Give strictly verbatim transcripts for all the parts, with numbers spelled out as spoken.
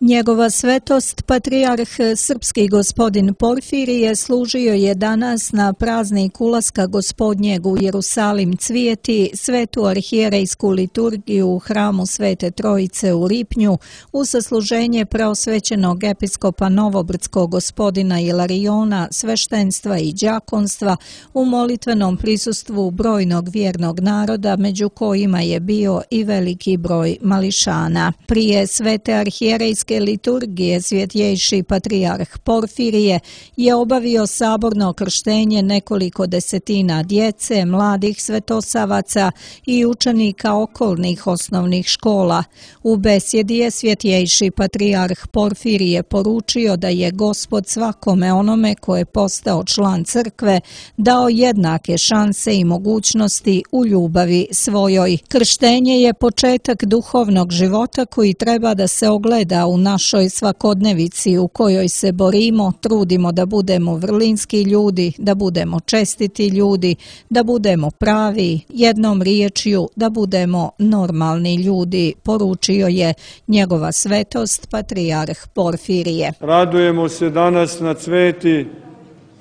Njegova svetost, patrijarh srpski gospodin Porfirije, služio je danas na praznik ulaska Gospodnjeg u Jerusalim Cvijeti, svetu arhijerejsku liturgiju u hramu Svete Trojice u Lipnju, u sasluženje preosvećenog episkopa Novobrdskog gospodina Ilariona, sveštenstva i đakonstva, u molitvenom prisustvu brojnog vjernog naroda, među kojima je bio i veliki broj mališana. Prije svete arhijerejske liturgije svjetjejši patrijarh Porfirije je obavio saborno krštenje nekoliko desetina djece, mladih svetosavaca i učenika okolnih osnovnih škola. U besjedi je svjetjejši patrijarh Porfirije poručio da je Gospod svakome onome ko je postao član crkve dao jednake šanse i mogućnosti u ljubavi svojoj. Krštenje je početak duhovnog života koji treba da se ogleda u našoj svakodnevici u kojoj se borimo, trudimo da budemo vrlinski ljudi, da budemo čestiti ljudi, da budemo pravi, jednom riječju da budemo normalni ljudi, poručio je njegova svetost patrijarh Porfirije. Radujemo se danas na Cveti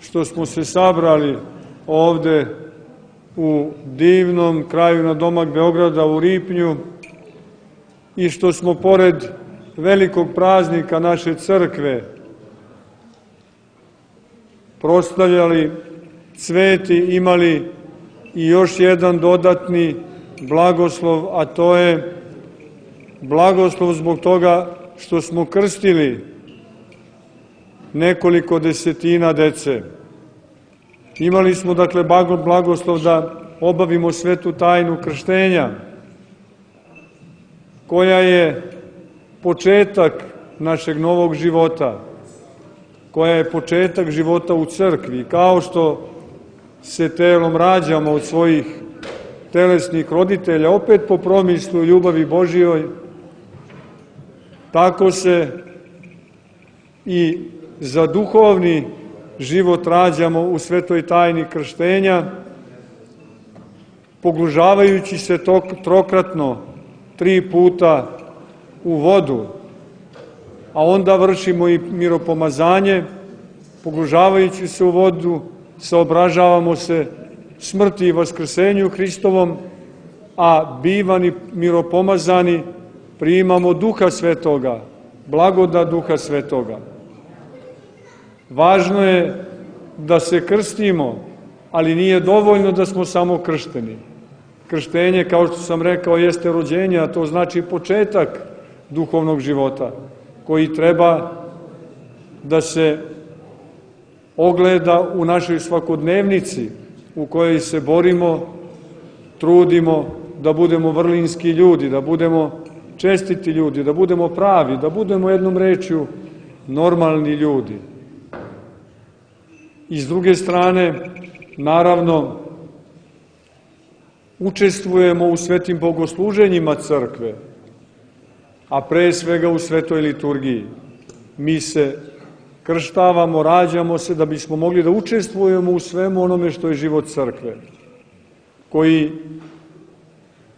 što smo se sabrali ovde u divnom kraju nadomak Beograda u Lipnju i što smo pored velikog praznika naše crkve proslavljali Cveti, imali i još jedan dodatni blagoslov, a to je blagoslov zbog toga što smo krstili nekoliko desetina dece. Imali smo dakle blagoslov da obavimo svetu tajnu krštenja, koja je početak našeg novog života, koja je početak života u crkvi. Kao što se telom rađamo od svojih telesnih roditelja, opet po promislu ljubavi Božjoj, tako se i za duhovni život rađamo u svetoj tajni krštenja, pogružavajući se trokratno, tri puta u vodu, a onda vršimo i miropomazanje, pogružavajući se u vodu, saobražavamo se smrti i vaskrsenju Hristovom, a bivani miropomazani primamo Duha Svetoga, blagodat Duha Svetoga. Važno je da se krstimo, ali nije dovoljno da smo samo kršteni. Krštenje, kao što sam rekao, jeste rođenje, a to znači početak duhovnog života, koji treba da se ogleda u našoj svakodnevnici, u kojoj se borimo, trudimo da budemo vrlinski ljudi, da budemo čestiti ljudi, da budemo pravi, da budemo jednom rečju normalni ljudi. I s druge strane, naravno, učestvujemo u svetim bogosluženjima crkve, a pre svega u svetoj liturgiji. Mi se krštavamo, rađamo se da bismo mogli da učestvujemo u svemu onome što je život crkve, koji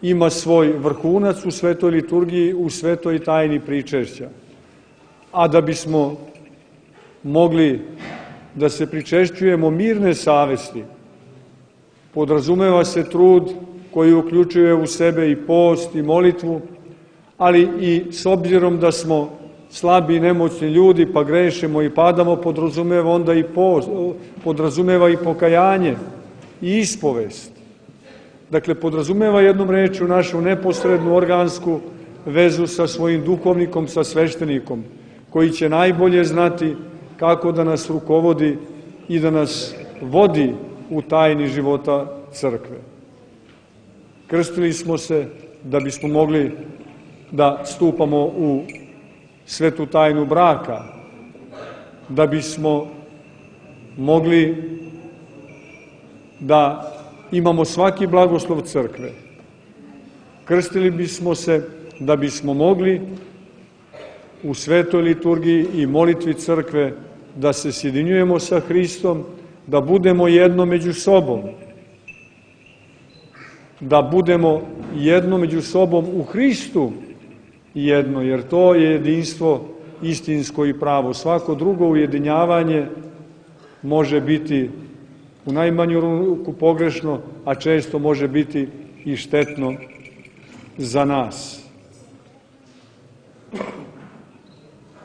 ima svoj vrhunac u svetoj liturgiji, u svetoj tajni pričešća. A da bismo mogli da se pričešćujemo mirne savesti, podrazumeva se trud koji uključuje u sebe i post i molitvu, ali i s obzirom da smo slabi i nemoćni ljudi, pa grešimo i padamo, podrazumeva onda i post, podrazumeva i pokajanje i ispovest. Dakle, podrazumeva jednom rečju našu neposrednu organsku vezu sa svojim duhovnikom, sa sveštenikom, koji će najbolje znati kako da nas rukovodi i da nas vodi u tajni života crkve. Krstili smo se da bismo mogli da stupamo u svetu tajnu braka, da bismo mogli da imamo svaki blagoslov crkve. Krstili bismo se da bismo mogli u svetoj liturgiji i molitvi crkve da se sjedinjujemo sa Hristom, da budemo jedno među sobom. da budemo jedno među sobom u Hristu jedno, jer to je jedinstvo istinsko i pravo. Svako drugo ujedinjavanje može biti u najmanju ruku pogrešno, a često može biti i štetno za nas.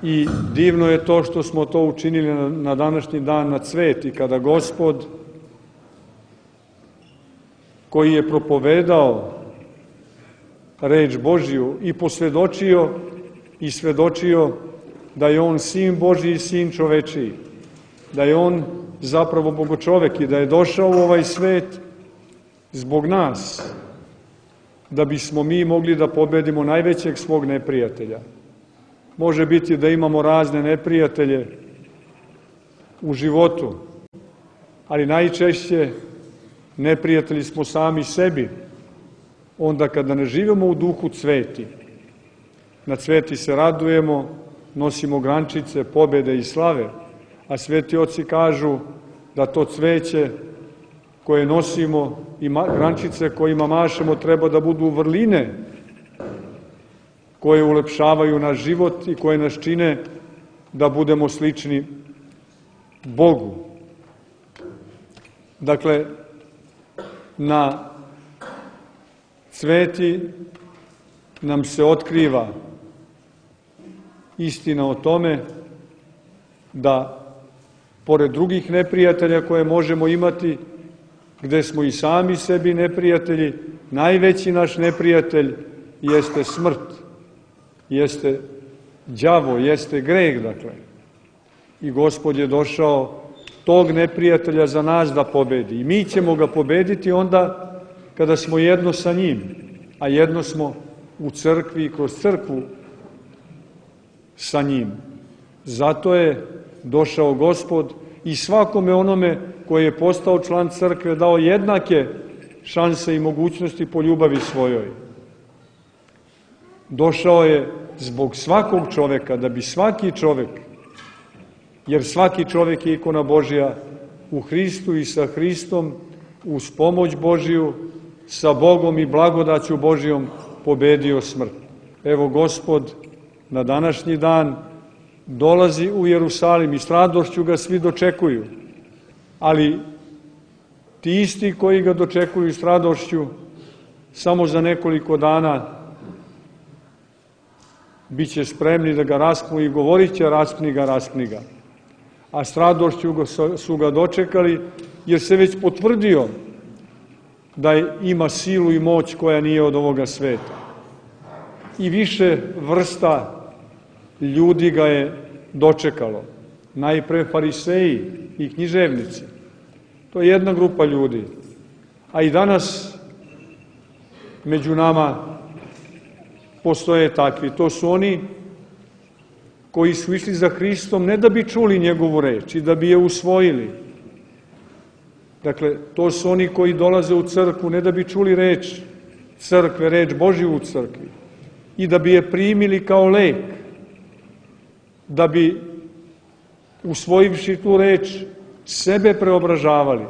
I divno je to što smo to učinili na današnji dan na Cveti, kada Gospod, koji je propovedao reč Božiju i posvedočio i svedočio da je on Sin Božji i Sin čovečiji, da je on zapravo Bogočovek i da je došao u ovaj svet zbog nas, da bismo mi mogli da pobedimo najvećeg svog neprijatelja. Može biti da imamo razne neprijatelje u životu, ali najčešće neprijatelji smo sami sebi, onda kada ne živimo u duhu cveti. Na cveti se radujemo, nosimo grančice, pobede i slave, a sveti oci kažu da to cveće koje nosimo i grančice kojima mašemo treba da budu vrline koje ulepšavaju naš život i koje nas čine da budemo slični Bogu. Dakle, na cveti nam se otkriva istina o tome da, pored drugih neprijatelja koje možemo imati, gde smo i sami sebi neprijatelji, najveći naš neprijatelj jeste smrt, jeste đavo, jeste greh, dakle. I Gospod je došao tog neprijatelja za nas da pobedi. I mi ćemo ga pobediti onda kada smo jedno sa njim, a jedno smo u crkvi i kroz crkvu sa njim. Zato je došao Gospod i svakome onome koji je postao član crkve dao jednake šanse i mogućnosti po ljubavi svojoj. Došao je zbog svakog čoveka, da bi svaki čovek, jer svaki čovek je ikona Božja u Hristu i sa Hristom, uz pomoć Božiju, sa Bogom i blagodaću Božijom pobedio smrt. Evo, Gospod na današnji dan dolazi u Jerusalim i s radošću ga svi dočekuju, ali ti isti koji ga dočekuju s radošću samo za nekoliko dana bit će spremni da ga raspnu i govorit će raspni ga, raspni ga. A s radošću su ga dočekali, jer se već potvrdio da ima silu i moć koja nije od ovoga sveta. I više vrsta ljudi ga je dočekalo. Najpre fariseji i književnici. To je jedna grupa ljudi. A i danas među nama postoje takvi. To su oni koji su išli za Hristom ne da bi čuli njegovu reč i da bi je usvojili. Dakle, to su oni koji dolaze u crkvu ne da bi čuli reč crkve, reč Božju u crkvi i da bi je primili kao lek, da bi, usvojivši tu reč, sebe preobražavali,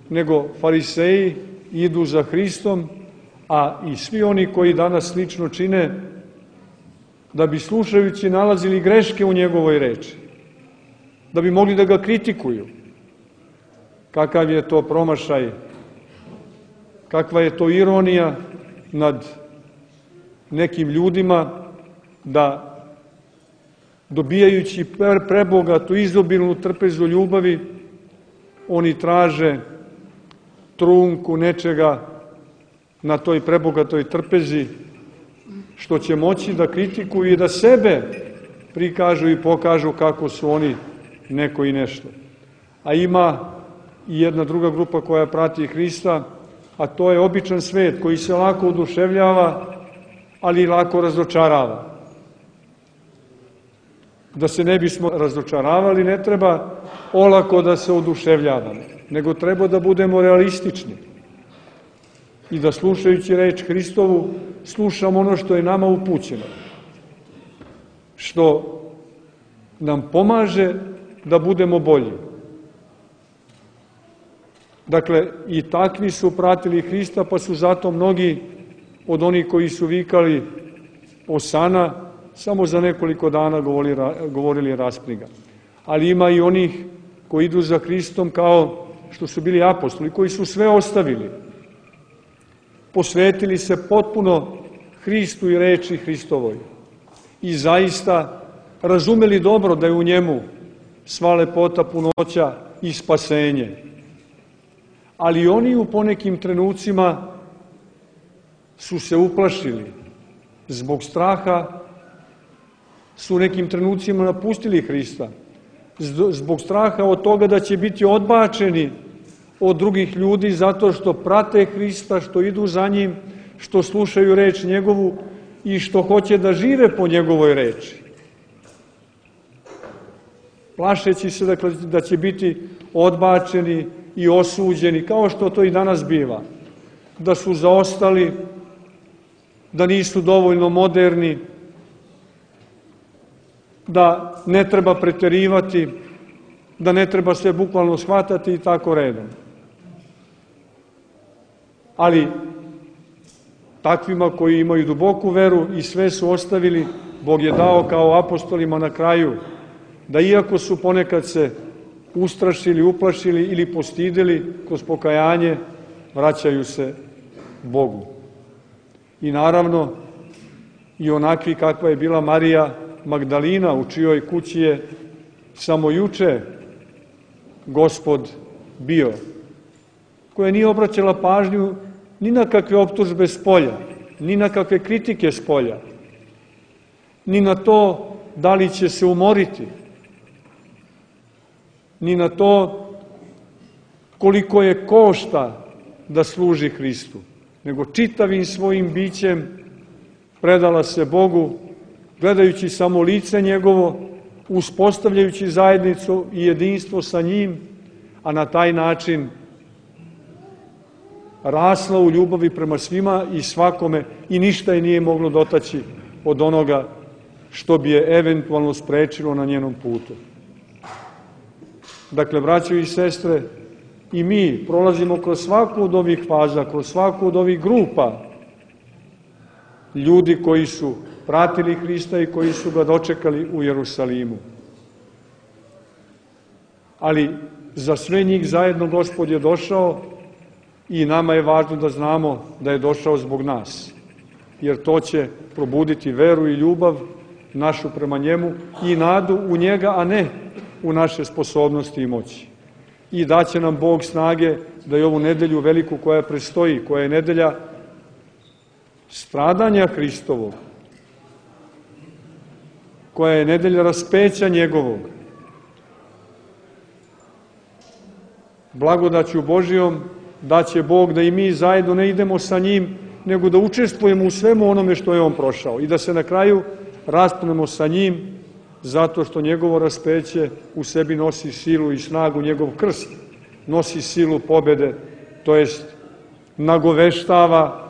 nego fariseji idu za Hristom, a i svi oni koji danas slično čine, da bi slušajući nalazili greške u njegovoj reči, da bi mogli da ga kritikuju. Kakav je to promašaj, kakva je to ironija nad nekim ljudima da, dobijajući prebogatu, izobilnu trpezu ljubavi, oni traže trunku nečega na toj prebogatoj trpezi, što će moći da kritikuju i da sebe prikažu i pokažu kako su oni neko i nešto. A ima i jedna druga grupa koja prati Hrista, a to je običan svet koji se lako oduševljava, ali i lako razočarava. Da se ne bismo razočaravali, ne treba olako da se oduševljavamo, nego treba da budemo realistični i da, slušajući reč Hristovu, slušamo ono što je nama upućeno, što nam pomaže da budemo bolji. Dakle, i takvi su pratili Hrista, pa su zato mnogi od onih koji su vikali Osana, samo za nekoliko dana govorili, govorili raspni ga. Ali ima i onih koji idu za Hristom kao što su bili apostoli, koji su sve ostavili. Posvetili se potpuno Hristu i reči Hristovoj. I zaista razumeli dobro da je u njemu sva lepota, punoća i spasenje. Ali oni u ponekim trenucima su se uplašili. Zbog straha su u nekim trenucima napustili Hrista. Zbog straha od toga da će biti odbačeni od drugih ljudi zato što prate Hrista, što idu za njim, što slušaju reč njegovu i što hoće da žive po njegovoj reči. Plašeći se dakle, da će biti odbačeni i osuđeni, kao što to i danas biva. Da su zaostali, da nisu dovoljno moderni, da ne treba preterivati, da ne treba sve bukvalno shvatati i tako redom. Ali takvima koji imaju duboku veru i sve su ostavili, Bog je dao kao apostolima na kraju, da iako su ponekad se ustrašili, uplašili ili postideli kroz pokajanje, vraćaju se Bogu. I naravno, i onakvi kakva je bila Marija Magdalina, u čijoj kući je samo juče Gospod bio, koja nije obraćala pažnju ni na kakve optužbe spolja, ni na kakve kritike spolja, ni na to da li će se umoriti, ni na to koliko je košta da služi Hristu, nego čitavim svojim bićem predala se Bogu, gledajući samo lice njegovo, uspostavljajući zajednicu i jedinstvo sa njim, a na taj način rasla u ljubavi prema svima i svakome i ništa je nije moglo dotaći od onoga što bi je eventualno sprečilo na njenom putu. Dakle, braćo i sestre, i mi prolazimo kroz svaku od ovih faza, kroz svaku od ovih grupa ljudi koji su pratili Hrista i koji su ga dočekali u Jerusalimu. Ali za sve njih zajedno Gospod je došao i nama je važno da znamo da je došao zbog nas, jer to će probuditi veru i ljubav našu prema njemu i nadu u njega, a ne u naše sposobnosti i moći. I daće nam Bog snage da je ovu nedelju veliku koja predstoji, koja je nedelja stradanja Hristovog, koja je nedelja raspeća njegovog, blagodaću Božijom da će Bog da i mi zajedno ne idemo sa njim, nego da učestvujemo u svemu onome što je on prošao i da se na kraju raspunemo sa njim, zato što njegovo raspeće u sebi nosi silu i snagu, njegov krst nosi silu pobede, to jest nagoveštava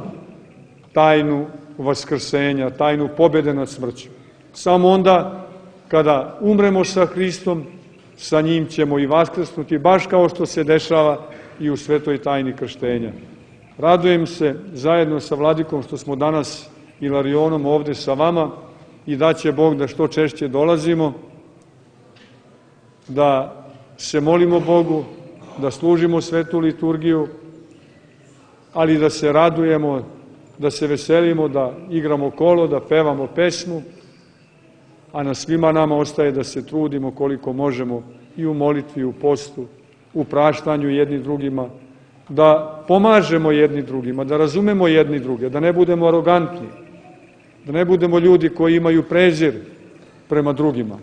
tajnu vaskrsenja, tajnu pobede nad smrću. Samo onda kada umremo sa Hristom, sa njim ćemo i vaskrsnuti, baš kao što se dešava i u svetoj tajni krštenja. Radujem se zajedno sa Vladikom što smo danas Ilarionom ovde sa vama i da će Bog da što češće dolazimo, da se molimo Bogu, da služimo svetu liturgiju, ali da se radujemo, da se veselimo, da igramo kolo, da pevamo pesmu, a na svima nama ostaje da se trudimo koliko možemo i u molitvi, i u postu, u praštanju jedni drugima, da pomažemo jedni drugima, da razumemo jedni druge, da ne budemo arogantni, da ne budemo ljudi koji imaju prezir prema drugima,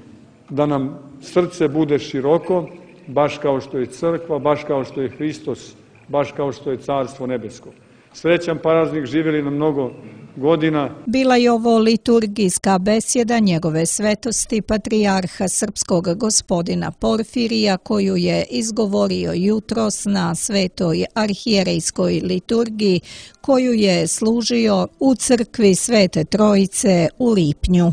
da nam srce bude široko, baš kao što je crkva, baš kao što je Hristos, baš kao što je Carstvo nebesko. Srećan praznik, živjeli na mnogo godina. Bila je ovo liturgijska besjeda njegove svetosti patrijarha srpskog gospodina Porfirija, koju je izgovorio jutros na svetoj arhijerejskoj liturgiji, koju je služio u crkvi Svete Trojice u Lipnju.